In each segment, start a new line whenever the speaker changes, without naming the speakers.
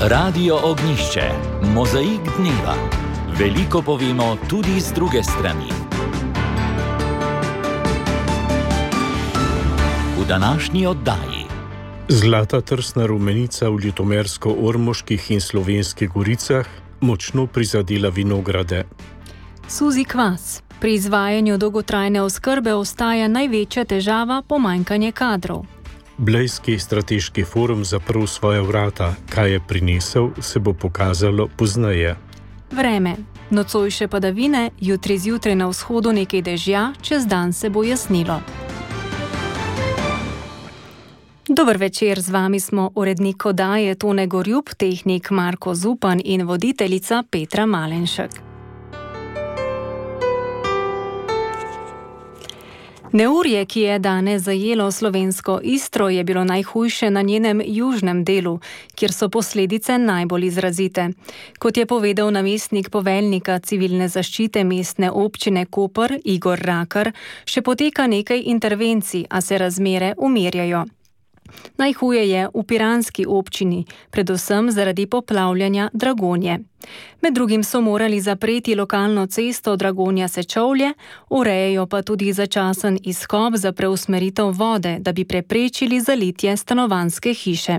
Radio Ognjišče, mozaik dneva. Veliko povemo tudi z druge strani. V današnji oddaji.
Zlata trsna rumenica v ljutomersko-ormoških in Slovenskih goricah močno prizadela vinograde.
Suzi kvas. Pri izvajanju dolgotrajne oskrbe ostaja največja težava pomanjkanje kadrov.
Blejski strateški forum zaprl svoja vrata. Kaj je prinesel, se bo pokazalo pozneje.
Vreme. Nocojše padavine, jutri zjutraj na vzhodu nekaj dežja, čez dan se bo jasnilo. Dober večer, z vami smo urednik oddaje Tone Gorjup, tehnik Marko Zupan in voditeljica Petra Malenšek. Neurje, ki je danes zajelo slovensko Istro, je bilo najhujše na njenem južnem delu, kjer so posledice najbolj izrazite. Kot je povedal namestnik poveljnika civilne zaščite mestne občine Koper Igor Rakar, še poteka nekaj intervencij, a se razmere umirjajo. Najhuje je v piranski občini, predvsem zaradi poplavljanja Dragonje. Med drugim so morali zapreti lokalno cesto Dragonja-Sečovlje, urejajo pa tudi začasen izkop za preusmeritev vode, da bi preprečili zalitje stanovanjske hiše.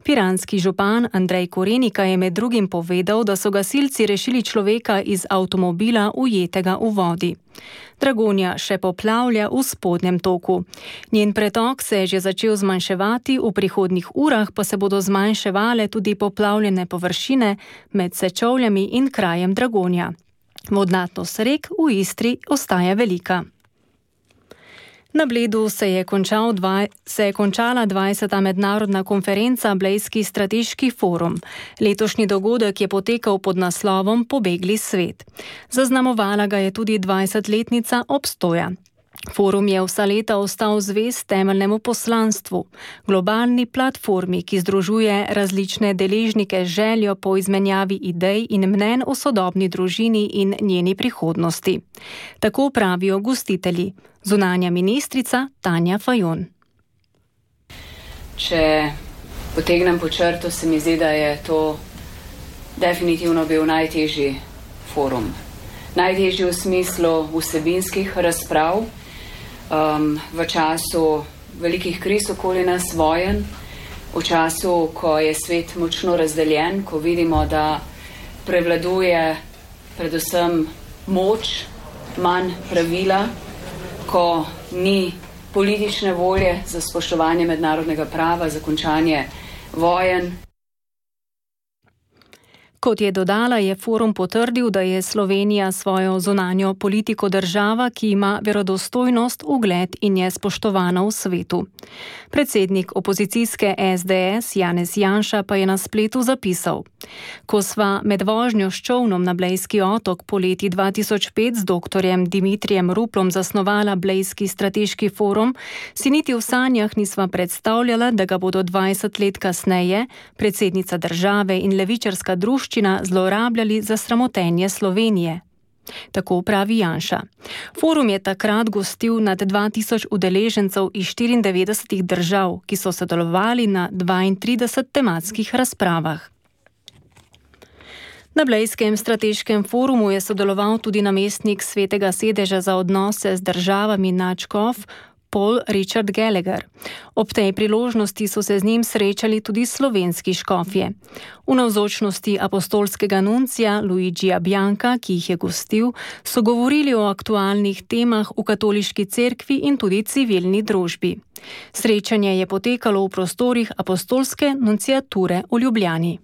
Piranski župan Andrej Korenika je med drugim povedal, da so gasilci rešili človeka iz avtomobila ujetega v vodi. Dragonja še poplavlja v spodnjem toku. Njen pretok se je že začel zmanjševati, v prihodnjih urah pa se bodo zmanjševale tudi poplavljene površine med Sečovljami in krajem Dragonja. Vodnatnost rek v Istri ostaja velika. Na Bledu se je končala 20. mednarodna konferenca Blejski strateški forum. Letošnji dogodek je potekal pod naslovom Pobegli svet. Zaznamovala ga je tudi 20-letnica obstoja. Forum je vsa leta ostal zvest temeljnemu poslanstvu, globalni platformi, ki združuje različne deležnike z željo po izmenjavi idej in mnenj o sodobni družini in njeni prihodnosti. Tako pravijo gostitelji. Zunanja ministrica Tanja Fajon.
Če potegnem po črto, se mi zdi, da je to definitivno bil najtežji forum. Najtežji v smislu vsebinskih razprav, v času velikih kriz okoli nas, vojen, v času, ko je svet močno razdeljen, ko vidimo, da prevladuje predvsem moč, manj pravila, ko ni politične volje za spoštovanje mednarodnega prava, za končanje vojen.
Kot je dodala, je forum potrdil, da je Slovenija svojo zunanjo politiko država, ki ima verodostojnost, ugled in je spoštovana v svetu. Predsednik opozicijske SDS Janez Janša pa je na spletu zapisal: Ko sva med vožnjo s čolnom na Blejski otok poleti 2005 z doktorjem Dimitrijem Ruplom zasnovala Blejski strateški forum, si niti v sanjah nisva predstavljala, da ga bodo 20 let kasneje predsednica države in levičarska druščina zlorabljali za sramotenje Slovenije. Tako pravi Janša. Forum je takrat gostil nad 2000 udeležencev iz 94 držav, ki so sodelovali na 32 tematskih razpravah. Na Blejskem strateškem forumu je sodeloval tudi namestnik Svetega sedeža za odnose z državami nadškof Paul Richard Gallagher. Ob tej priložnosti so se z njim srečali tudi slovenski škofje. V navzočnosti apostolskega nuncija Luigija Bianca, ki jih je gostil, so govorili o aktualnih temah v katoliški cerkvi in tudi civilni družbi. Srečanje je potekalo v prostorih apostolske nunciature v Ljubljani.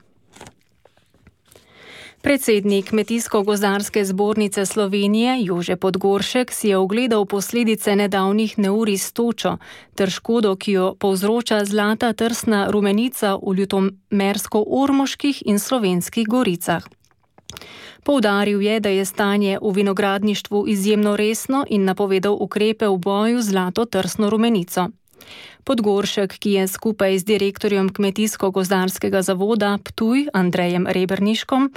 Predsednik Kmetijsko-gozdarske zbornice Slovenije Jože Podgoršek si je ogledal posledice nedavnih neurij s točo ter škodo, ki jo povzroča zlata trsna rumenica v ljutomersko-ormoških in Slovenskih goricah. Poudaril je, da je stanje v vinogradništvu izjemno resno in napovedal ukrepe v boju z zlato trsno rumenico. Podgoršek, ki je skupaj z direktorjem Kmetijsko-gozdarskega zavoda Ptuj Andrejem Reberniškom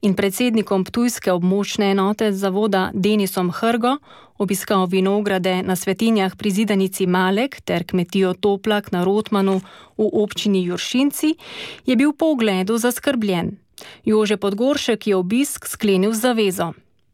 in predsednikom Ptujske območne enote zavoda Denisom Hrgo obiskal vinograde na Svetinjah pri Zidanici Malek ter kmetijo Toplak na Rotmanu v občini Juršinci, je bil po ogledu zaskrbljen. Jože Podgoršek je obisk sklenil z zavezo.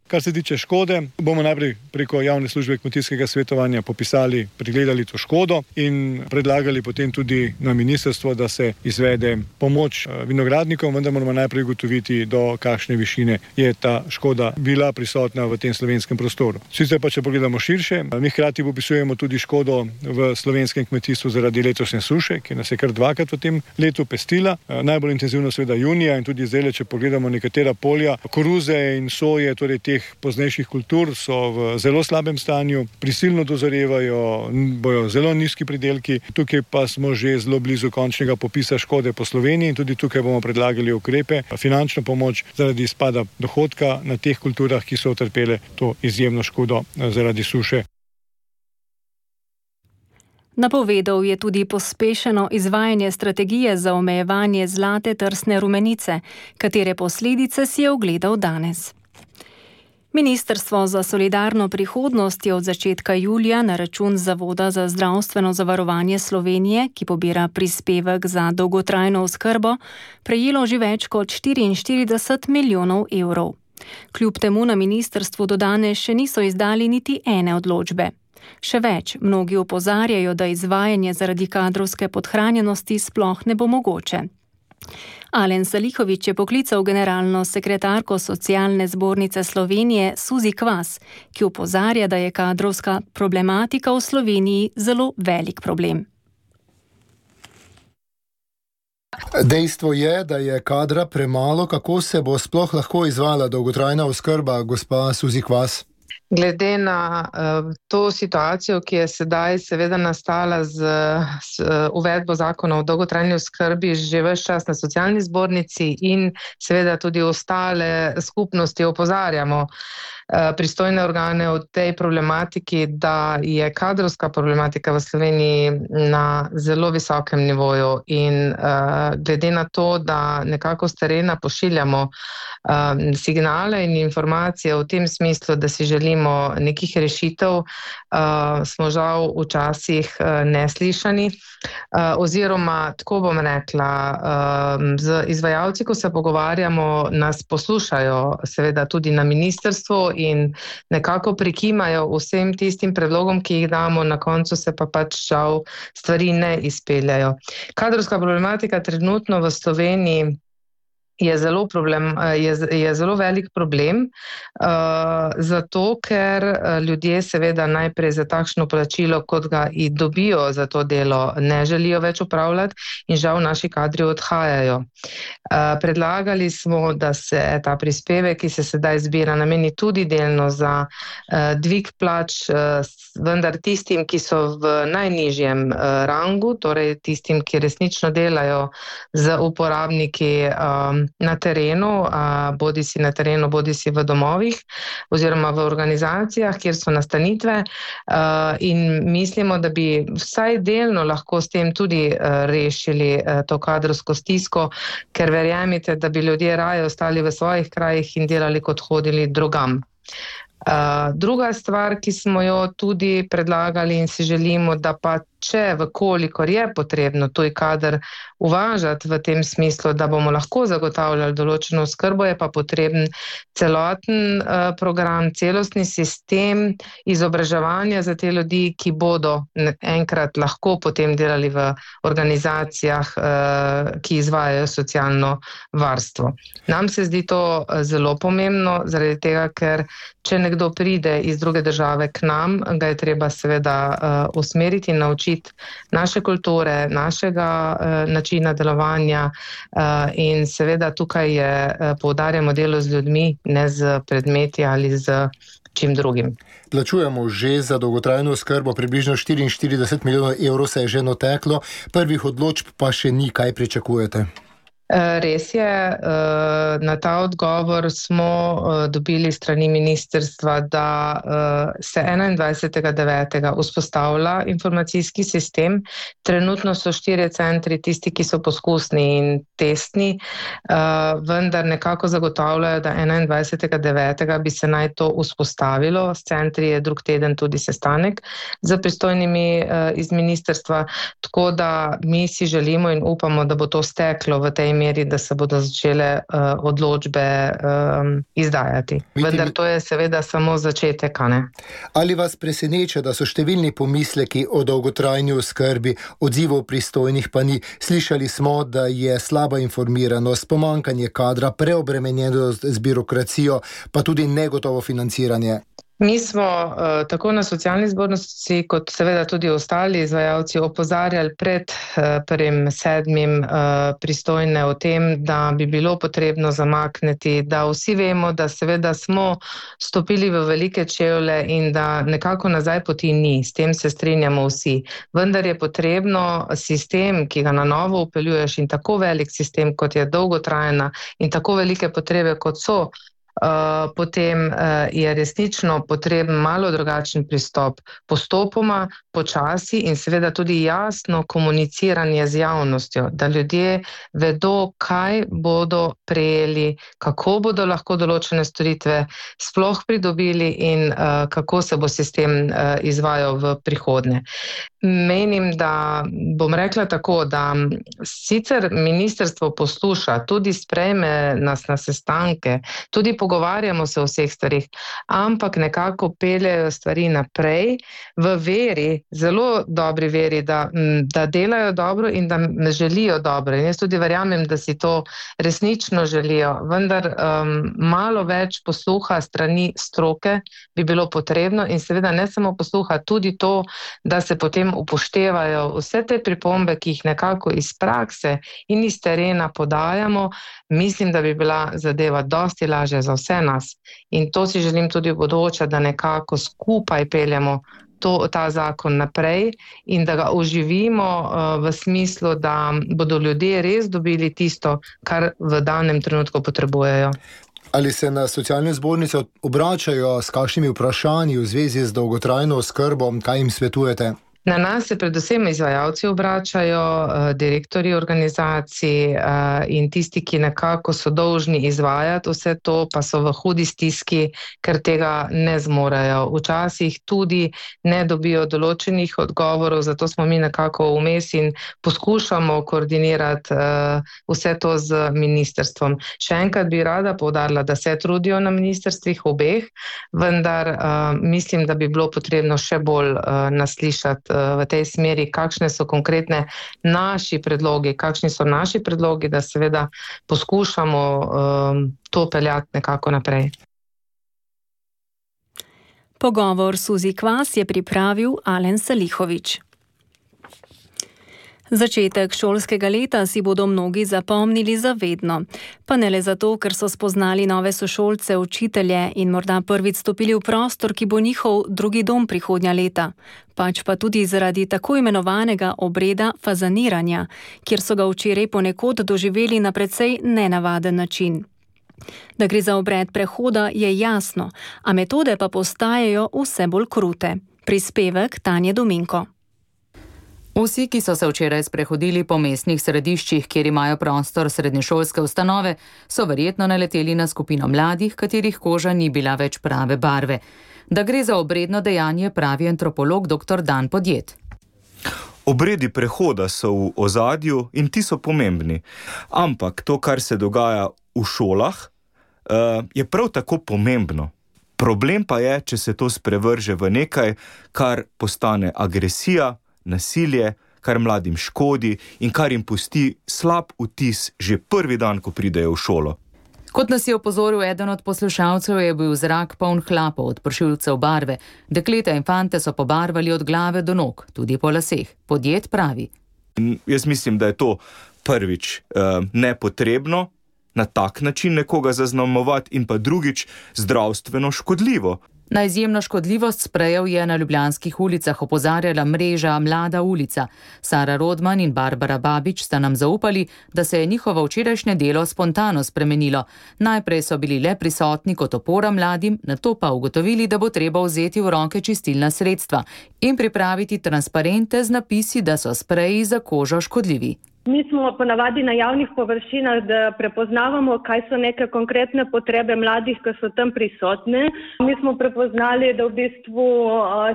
Kar se tiče škode, bomo najprej preko javne službe kmetijskega svetovanja popisali, pregledali to škodo in predlagali potem tudi na ministrstvo, da se izvede pomoč vinogradnikom, vendar moramo najprej ugotoviti, do kakšne višine je ta škoda bila prisotna v tem slovenskem prostoru. Sicer pa, če pogledamo širše, mi hkrati popisujemo tudi škodo v slovenskem kmetijstvu zaradi letošnje suše, ki nas je kar dvakrat v tem letu pestila. Najbolj intenzivno seveda junija in tudi zdaj, če pogledamo nekatera polja, koruze in soje, torej teh poznejših kultur so v zelo slabem stanju, prisilno dozorevajo, bojo zelo nizki pridelki. Tukaj pa smo že zelo blizu končnega popisa škode po Sloveniji in tudi tukaj bomo predlagali ukrepe, finančno pomoč zaradi izpada dohodka na teh kulturah, ki so utrpele to izjemno škodo zaradi suše.
Napovedal je tudi pospešeno izvajanje strategije za omejevanje zlate trsne rumenice, katere posledice si je ogledal danes. Ministrstvo za solidarno prihodnost je od začetka julija na račun Zavoda za zdravstveno zavarovanje Slovenije, ki pobira prispevek za dolgotrajno oskrbo, prejelo že več kot 44 milijonov evrov. Kljub temu na ministrstvu do danes še niso izdali niti ene odločbe. Še več, mnogi opozarjajo, da izvajanje zaradi kadrovske podhranjenosti sploh ne bo mogoče. Alen Salihović je poklical generalno sekretarko Socialne zbornice Slovenije Suzi Kvas, ki opozarja, da je kadrovska problematika v Sloveniji zelo velik problem.
Dejstvo je, da je kadra premalo. Kako se bo sploh lahko izvajala dolgotrajna oskrba, gospa Suzi Kvas?
Glede na to situacijo, ki je sedaj seveda nastala z uvedbo zakona o dolgotrajni oskrbi že ves čas na socialni zbornici in seveda tudi ostale skupnosti opozarjamo pristojne organe o tej problematiki, da je kadrovska problematika v Sloveniji na zelo visokem nivoju in glede na to, da nekako s terena pošiljamo signale in informacije v tem smislu, da si želimo nekih rešitev, smo žal včasih neslišani. Oziroma, tako bom rekla, z izvajalci, ko se pogovarjamo, nas poslušajo seveda tudi na ministrstvu in nekako prikimajo vsem tistim predlogom, ki jih damo, na koncu se pa pač žal stvari ne izpeljajo. Kadrovska problematika trenutno v Sloveniji je zelo velik problem, zato ker ljudje seveda najprej za takšno plačilo, kot ga i dobijo za to delo, ne želijo več upravljati in žal naši kadri odhajajo. Predlagali smo, da se ta prispevek, ki se sedaj zbira, nameni tudi delno za dvig plač, vendar tistim, ki so v najnižjem rangu, torej tistim, ki resnično delajo z uporabniki na terenu, bodisi na terenu, bodisi v domovih oziroma v organizacijah, kjer so nastanitve, in mislimo, da bi vsaj delno lahko s tem tudi rešili to kadrovsko stisko, ker verjemite, da bi ljudje raje ostali v svojih krajih in delali, kot hodili drugam. Druga stvar, ki smo jo tudi predlagali in si želimo, da pa če, vkolikor je potrebno tuj kader uvažati v tem smislu, da bomo lahko zagotavljali določeno oskrbo, je pa potreben celoten program, celostni sistem izobraževanja za te ljudi, ki bodo enkrat lahko potem delali v organizacijah, ki izvajajo socialno varstvo. Nam se zdi to zelo pomembno, zaradi tega, ker če nekdo pride iz druge države k nam, ga je treba seveda usmeriti in naučiti naše kulture, našega načina delovanja in seveda tukaj poudarjamo delo z ljudmi, ne z predmeti ali z čim drugim.
Plačujemo že za dolgotrajno oskrbo, približno 44 milijonov evrov se je že nateklo, prvih odločb pa še ni. Kaj pričakujete?
Res je, na ta odgovor smo dobili strani ministrstva, da se 21.9. vzpostavlja informacijski sistem. Trenutno so 4 centri tisti, ki so poskusni in testni, vendar nekako zagotavljajo, da 21.9. bi se naj to vzpostavilo. S centri je drug teden tudi sestanek z pristojnimi iz ministrstva, tako da mi si želimo in upamo, da bo to steklo v tej meri, da se bodo začele odločbe izdajati. Vendar to je seveda samo začetek, ne?
Ali vas preseneča, da so številni pomisleki o dolgotrajni oskrbi, odzivov pristojnih pa ni? Slišali smo, da je slaba informiranost, pomanjkanje kadra, preobremenjenost z birokracijo, pa tudi negotovo financiranje.
Mi smo tako na socialni zbornici kot seveda tudi ostali izvajalci opozarjali pred 1.7. Pristojne o tem, da bi bilo potrebno zamakniti, da vsi vemo, da seveda smo stopili v velike čevlje in da nekako nazaj poti ni, s tem se strinjamo vsi. Vendar je potrebno sistem, ki ga na novo upeljuješ in tako velik sistem, kot je dolgotrajna in tako velike potrebe, kot so, potem je resnično potreben malo drugačen pristop, postopoma, počasi in seveda tudi jasno komuniciranje z javnostjo, da ljudje vedo, kaj bodo prejeli, kako bodo lahko določene storitve sploh pridobili in kako se bo sistem izvajal v prihodnje. Menim, da bom rekla tako, da sicer ministrstvo posluša, tudi sprejme nas na sestanke, tudi pogovarjamo se o vseh stvarih, ampak nekako peljejo stvari naprej v veri, zelo dobri veri, da delajo dobro in da želijo dobro. In jaz tudi verjamem, da si to resnično želijo, vendar malo več posluha strani stroke bi bilo potrebno in seveda ne samo posluha, tudi to, da se potem upoštevajo vse te pripombe, ki jih nekako iz prakse in iz terena podajamo. Mislim, da bi bila zadeva dosti lažja za vse nas in to si želim tudi v bodoče, da nekako skupaj peljemo ta zakon naprej in da ga oživimo v smislu, da bodo ljudje res dobili tisto, kar v danem trenutku potrebujejo.
Ali se na socialne zbornice obračajo s kakšnimi vprašanji v zvezi z dolgotrajno oskrbo, kaj jim svetujete?
Na nas se predvsem izvajalci obračajo, direktorji organizacij in tisti, ki nekako so dolžni izvajati vse to, pa so v hudi stiski, ker tega ne zmorejo. Včasih tudi ne dobijo določenih odgovorov, zato smo mi nekako vmes in poskušamo koordinirati vse to z ministrstvom. Še enkrat bi rada poudarila, da se trudijo na ministrstvih obeh, vendar mislim, da bi bilo potrebno še bolj naslišati v tej smeri, kakšne so konkretne naši predlogi, da seveda poskušamo to peljati nekako naprej.
Pogovor Suzi Kvas je pripravil Alen Salihović. Začetek šolskega leta si bodo mnogi zapomnili zavedno. Pa ne le zato, ker so spoznali nove sošolce, učitelje in morda prvič stopili v prostor, ki bo njihov drugi dom prihodnja leta, pač pa tudi zaradi tako imenovanega obreda fazaniranja, kjer so ga včeraj ponekod doživeli na precej nenavaden način. Da gre za obred prehoda, je jasno, a metode pa postajajo vse bolj krute. Prispevek Tanje Dominko.
Vsi, ki so se včeraj sprehodili po mestnih središčih, kjer imajo prostor srednješolske ustanove, so verjetno naleteli na skupino mladih, katerih koža ni bila več prave barve. Da gre za obredno dejanje, pravi antropolog dr. Dan Podjed.
Obredi prehoda so v ozadju in ti so pomembni. Ampak to, kar se dogaja v šolah, je prav tako pomembno. Problem pa je, če se to sprevrže v nekaj, kar postane agresija, nasilje, kar mladim škodi in kar jim pusti slab vtis že prvi dan, ko pridejo v šolo.
Kot nas je opozoril eden od poslušalcev, je bil zrak poln hlapov od pršilcev barve. Dekleta in fante so pobarvali od glave do nog, tudi po laseh. Podjed pravi.
Jaz mislim, da je to prvič nepotrebno na tak način nekoga zaznamovati in pa drugič zdravstveno škodljivo.
Na izjemno škodljivost sprejev je na ljubljanskih ulicah opozarjala mreža Mlada ulica. Sara Rodman in Barbara Babič sta nam zaupali, da se je njihovo včerajšnje delo spontano spremenilo. Najprej so bili le prisotni kot opora mladim, nato pa ugotovili, da bo treba vzeti v roke čistilna sredstva in pripraviti transparente z napisi, da so spreji za kožo škodljivi.
Mi smo ponavadi na javnih površinah, da prepoznavamo, kaj so neke konkretne potrebe mladih, ki so tam prisotne. Mi smo prepoznali, da v bistvu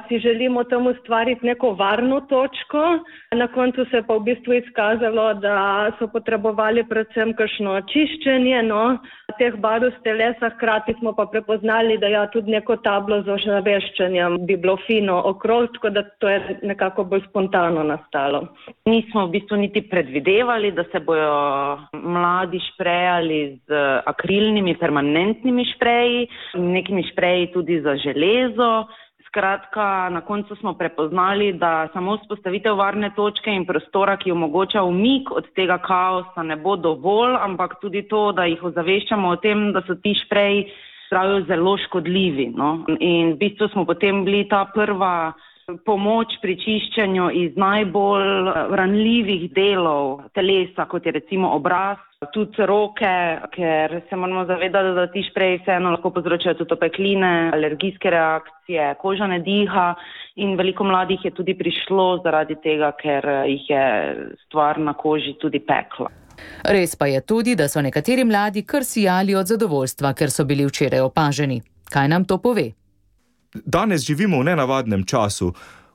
si želimo tam ustvariti neko varno točko. Na koncu se pa v bistvu izkazalo, da so potrebovali predvsem kakšno čiščenje teh barv s telesa. Hkrati smo pa prepoznali, da tudi neko tablo z ozaveščanjem bi bilo fino okrog, tako da to je nekako bolj spontano nastalo.
Nismo v bistvu niti predvidevali, da se bojo mladi šprejali z akrilnimi permanentnimi špreji, nekimi špreji tudi za železo. Skratka, na koncu smo prepoznali, da samo vzpostavitev varne točke in prostora, ki omogoča umik od tega kaosa, ne bo dovolj, ampak tudi to, da jih ozaveščamo o tem, da so ti špreji zelo škodljivi. In v bistvu smo potem bili ta prva pomoč pri čiščenju iz najbolj ranljivih delov telesa, kot je recimo obraz, tudi roke, ker se moramo zavedati, da ti špreji vseeno lahko povzročajo tudi opekline, alergijske reakcije, koža ne diha in veliko mladih je tudi prišlo zaradi tega, ker jih je stvar na koži tudi pekla.
Res pa je tudi, da so nekateri mladi kar sijali od zadovoljstva, ker so bili včeraj opaženi. Kaj nam to pove?
Danes živimo v nenavadnem času,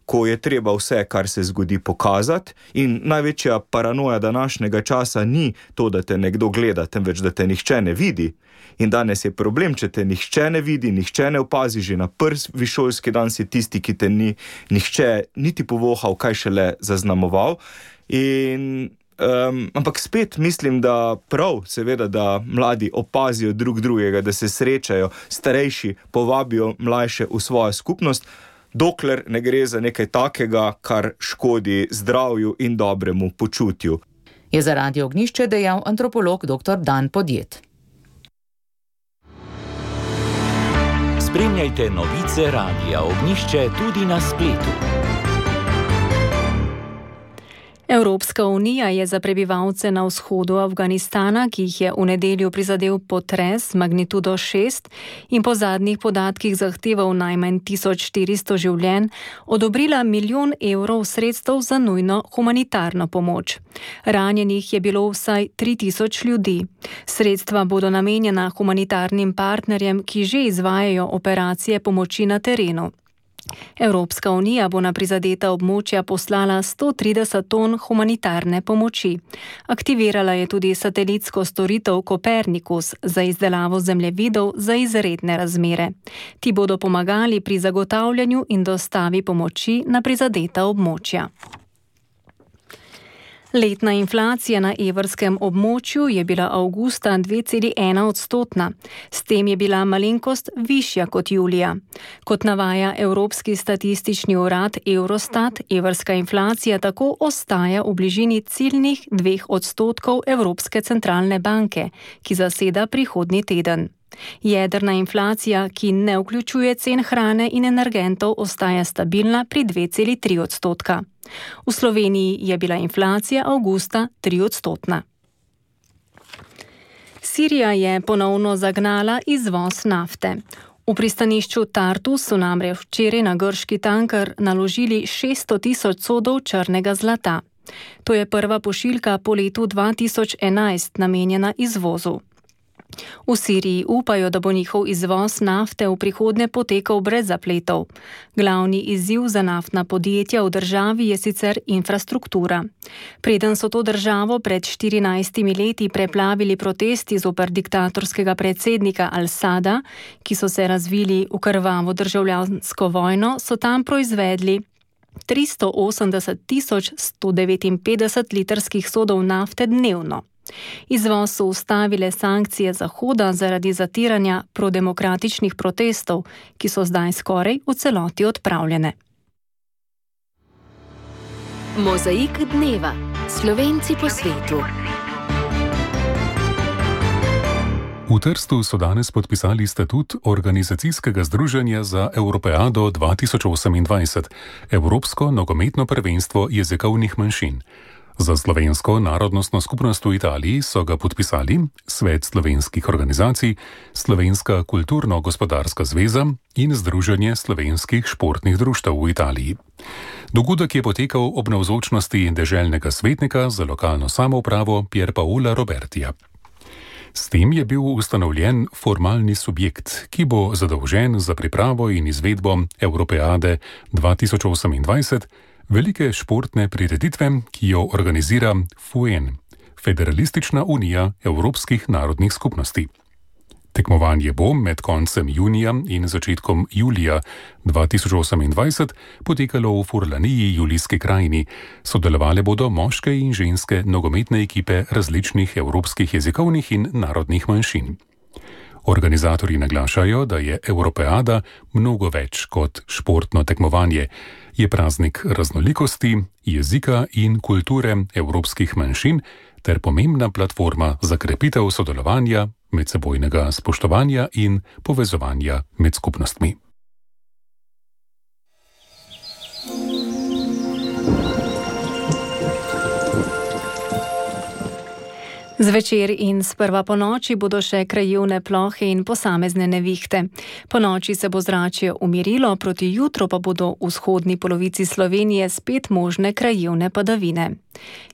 ko je treba vse, kar se zgodi, pokazati in največja paranoja današnjega časa ni to, da te nekdo gleda, temveč da te nihče ne vidi. In danes je problem, če te nihče ne vidi, nihče ne opazi, že na prvi šolski dan si tisti, ki te ni nihče niti povohal, kaj šele zaznamoval. Ampak spet mislim, da prav, seveda, da mladi opazijo drug drugega, da se srečajo, starejši povabijo mlajše v svojo skupnost, dokler ne gre za nekaj takega, kar škodi zdravju in dobremu počutju.
Je za Radio Ognjišče dejal antropolog dr. Dan Podjet.
Spremljajte novice Radia Ognjišče tudi na spletu.
Evropska unija je za prebivalce na vzhodu Afganistana, ki jih je v nedeljo prizadel potres magnitudo 6 in po zadnjih podatkih zahteval najmanj 1400 življenj, odobrila 1 milijon evrov sredstev za nujno humanitarno pomoč. Ranjenih je bilo vsaj 3000 ljudi. Sredstva bodo namenjena humanitarnim partnerjem, ki že izvajajo operacije pomoči na terenu. Evropska unija bo na prizadeta območja poslala 130 ton humanitarne pomoči. Aktivirala je tudi satelitsko storitev Kopernikus za izdelavo zemljevidov za izredne razmere. Ti bodo pomagali pri zagotavljanju in dostavi pomoči na prizadeta območja. Letna inflacija na evrskem območju je bila avgusta 2,1%. S tem je bila malenkost višja kot julija. Kot navaja Evropski statistični urad Eurostat, evrska inflacija tako ostaja v bližini ciljnih 2% Evropske centralne banke, ki zaseda prihodnji teden. Jedrna inflacija, ki ne vključuje cen hrane in energentov, ostaja stabilna pri 2,3%. V Sloveniji je bila inflacija avgusta 3%. Sirija je ponovno zagnala izvoz nafte. V pristanišču Tartus so namreč včeraj na grški tanker naložili 600 tisoč sodov črnega zlata. To je prva pošiljka po letu 2011 namenjena izvozu. V Siriji upajo, da bo njihov izvoz nafte v prihodnje potekal brez zapletov. Glavni izziv za naftna podjetja v državi je sicer infrastruktura. Preden so to državo pred 14 leti preplavili protesti zoper diktatorskega predsednika Al-Sada, ki so se razvili v krvavo državljansko vojno, so tam proizvedli 380 159 litrskih sodov nafte dnevno. Izvoz so ustavile sankcije Zahoda zaradi zatiranja prodemokratičnih protestov, ki so zdaj skoraj v celoti odpravljene.
Mozaik dneva. Slovenci po svetu.
V Trstu so danes podpisali statut Organizacijskega združenja za Evropeado 2028, Evropsko nogometno prvenstvo jezikovnih manjšin. Za slovensko narodnostno skupnost v Italiji so ga podpisali Svet slovenskih organizacij, Slovenska kulturno-gospodarska zveza in Združenje slovenskih športnih društev v Italiji. Dogodek je potekal ob navzočnosti deželnega svetnika za lokalno samoupravo Pier Paola Robertija. S tem je bil ustanovljen formalni subjekt, ki bo zadolžen za pripravo in izvedbo Evropeade 2028, velike športne prireditve, ki jo organizira FUEN, Federalistična unija evropskih narodnih skupnosti. Tekmovanje bo med koncem junija in začetkom julija 2028 potekalo v Furlaniji, Julijski krajini. Sodelovale bodo moške in ženske nogometne ekipe različnih evropskih jezikovnih in narodnih manjšin. Organizatorji naglašajo, da je Evropeada mnogo več kot športno tekmovanje. Je praznik raznolikosti, jezika in kulture evropskih manjšin ter pomembna platforma za krepitev sodelovanja, medsebojnega spoštovanja in povezovanja med skupnostmi.
Zvečer in sprva po noči bodo še krajevne plohe in posamezne nevihte. Po noči se bo zračje umirilo, proti jutru pa bodo v vzhodni polovici Slovenije spet možne krajevne padavine.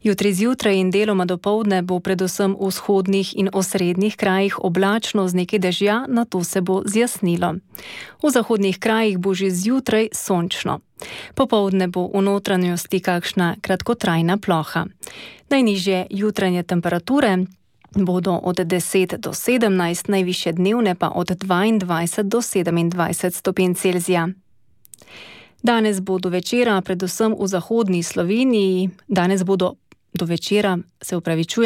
Jutri zjutraj in deloma dopoldne bo predvsem v vzhodnih in osrednjih krajih oblačno z nekaj dežja, nato se bo zjasnilo. V zahodnih krajih bo že zjutraj sončno. Popoldne bo v notranjosti kakšna kratkotrajna ploha. Najnižje jutranje temperature bodo od 10 do 17, najvišje dnevne pa od 22 do 27 stopinj Celzija. Danes bo do večera, predvsem v zahodni Sloveniji,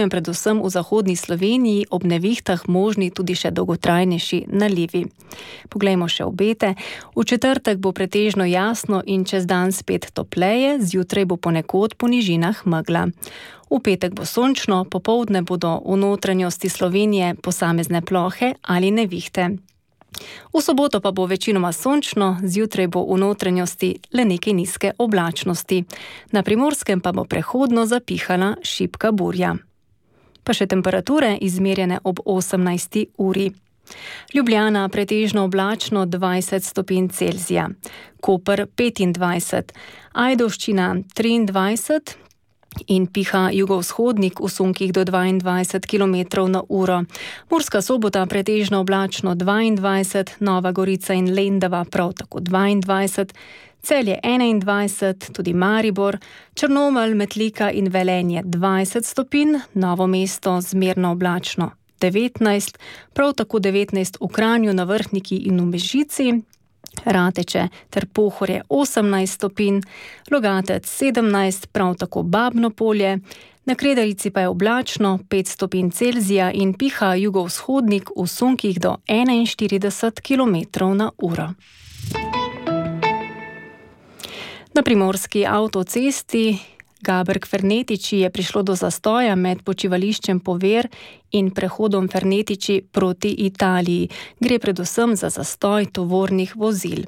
predvsem v zahodni Sloveniji ob nevihtah možni tudi še dolgotrajnejši nalivi. Poglejmo še obete. V četrtek bo pretežno jasno in čez dan spet topleje, zjutraj bo ponekod po nižinah megla. V petek bo sončno, popoldne bodo v notranjosti Slovenije posamezne plohe ali nevihte. V soboto pa bo večinoma sončno, zjutraj bo v notranjosti le nekaj nizke oblačnosti. Na Primorskem pa bo prehodno zapihala šibka burja. Pa še temperature izmerjene ob 18. uri. Ljubljana pretežno oblačno 20 stopinj Celzija, Koper 25, Ajdovščina 23 in piha jugovzhodnik v sunkih do 22 km na uro. Murska Sobota pretežno oblačno 22, Nova Gorica in Lendava prav tako 22, Celje 21, tudi Maribor, Črnomelj, Metlika in Velenje 20 stopinj, Novo mesto zmerno oblačno 19, prav tako 19 v Kranju, na Vrhniki in v Mežici, Rateče ter Pohorje 18 stopinj, Logatec 17, prav tako Babno Polje, na Kredarici pa je oblačno 5 stopinj Celzija in piha jugovzhodnik v sunkih do 41 km na uro. Na primorski avtocesti Gaberg-Fernetiči je prišlo do zastoja med počivališčem Pover in prehodom Fernetiči proti Italiji. Gre predvsem za zastoj tovornih vozil.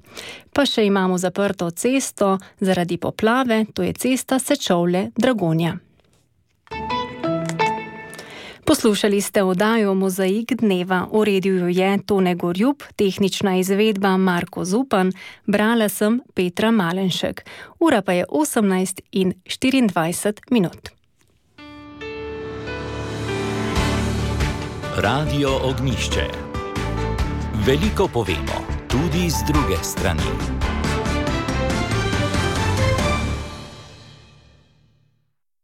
Pa še imamo zaprto cesto zaradi poplave, to je cesta Sečovlje-Dragonja. Poslušali ste oddajo Mozaik dneva. Uredil jo je Tone Gorjub, tehnična izvedba Marko Zupan, brala sem Petra Malenšek. Ura pa je 18:24.
Radio Ognjišče. Veliko povemo, tudi z druge strani.